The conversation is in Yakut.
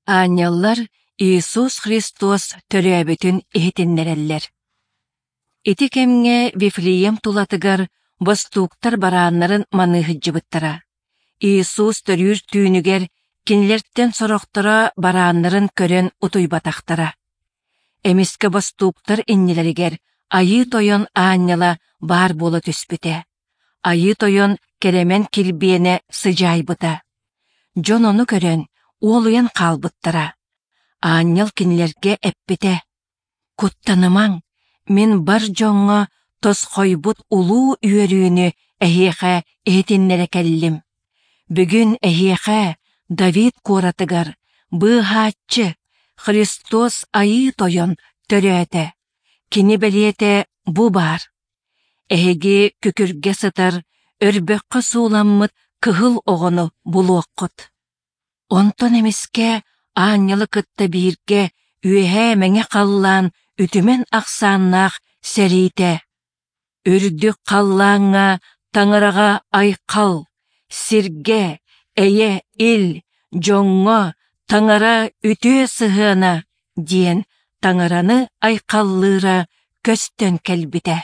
Аанньаллар Иисус Христос төрөөбүтүн иһитиннэрэллэр. Ити кэмҥэ Вифлеем тулатыгар бостууктар барааннарын маныы сылдьыбыттара. Иисус төрүүр түүнүгэр кинилэртэн сорохторо барааннарын көрөн утуйбатахтара. Эмискэ бостууктар иннилэригэр Айыы Тойон аанньала баар буола түспүтэ. Айыы Тойон кэрэмэн килбиэнэ сыдьаайбыта. Дьон ону көрөн, уолуйан хаалбыттара. Аанньал кинилэргэ эппитэ: «Куттанымаҥ, мин бар дьоҥҥо тосхойбут улуу үөрүүнү эһиэхэ иһитиннэрэ кэллим. Бүгүн эһиэхэ Давид куоратыгар Быыһааччы, Христос Айыы Тойон төрөөтө. Кини бэлиэтэ бу баар. Эһиги күкүргэ сытар, өрбөххө сууламмыт кыһыл оҕону булуоххут». Онтон эмискэ аанньалы кытта бииргэ үөһээ мэҥэ халлаан үтүмэн ахсааннаах сэриитэ Үрдүк халлааҥҥа Таҥараҕа айхал, сиргэ, эйэ, ил, дьоҥҥо Таҥара үтүө сыһыана диэн Таҥараны айхаллыыра көстөн кэлбитэ.